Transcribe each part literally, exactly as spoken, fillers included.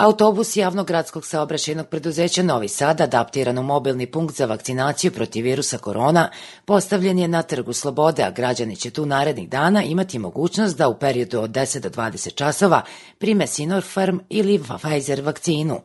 Autobus javnog gradskog saobraćajnog preduzeća Novi Sad, adaptiran u mobilni punkt za vakcinaciju protiv virusa korona, postavljen je na Trgu Slobode, a građani će tu narednih dana imati mogućnost da u periodu od deset do dvadeset časova prime Sinopharm ili Pfizer vakcinu.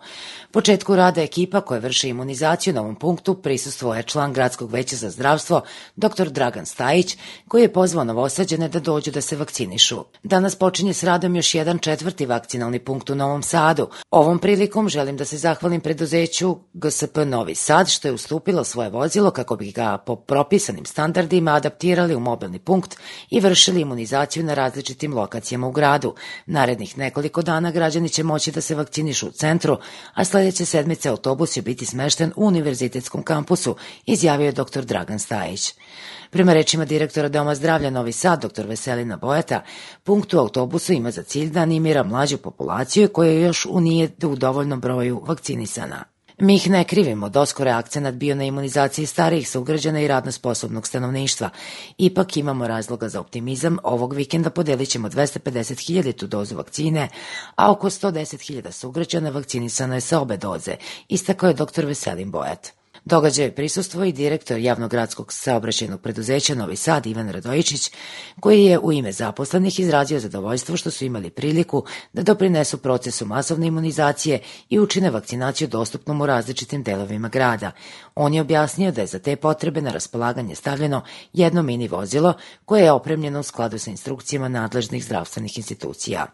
Početku rada ekipa koja vrši imunizaciju na ovom punktu prisustvuje član Gradskog veća za zdravstvo dr Dragan Stajić, koji je pozvao Novosađane da dođu da se vakcinišu. Danas počinje s radom još jedan četvrti vakcinalni punkt u Novom Sadu. Ovom prilikom želim da se zahvalim preduzeću G S P Novi Sad što je ustupilo svoje vozilo kako bi ga po propisanim standardima adaptirali u mobilni punkt i vršili imunizaciju na različitim lokacijama u gradu. Narednih nekoliko dana građani će moći da se vakcinišu u centru, a sledeće sedmice autobus će biti smešten u Univerzitetskom kampusu, izjavio je dr Dragan Stajić. Prema rečima direktora Doma zdravlja Novi Sad, dr Veselina Bojata, punkt u autobusu ima za cilj da animira mlađu populaciju koja još nije u dovoljnom broju vakcinisana. Mi ih ne krivimo, doskoro je akcenat bio na imunizaciji starijih sugrađana i radno sposobnog stanovništva. Ipak imamo razloga za optimizam, ovog vikenda podelit ćemo dvesta pedeset hiljada dozu vakcine, a oko sto deset hiljada sugrađana vakcinisano je sa obe doze, istakao je dr Veselin Bojat. Događaju prisustvo i direktor javnog gradskog saobraćajnog preduzeća Novi Sad Ivan Radojičić, koji je u ime zaposlenih izrazio zadovoljstvo što su imali priliku da doprinesu procesu masovne imunizacije i učine vakcinaciju dostupnom u različitim delovima grada. On je objasnio da je za te potrebe na raspolaganje stavljeno jedno mini vozilo koje je opremljeno u skladu sa instrukcijama nadležnih zdravstvenih institucija.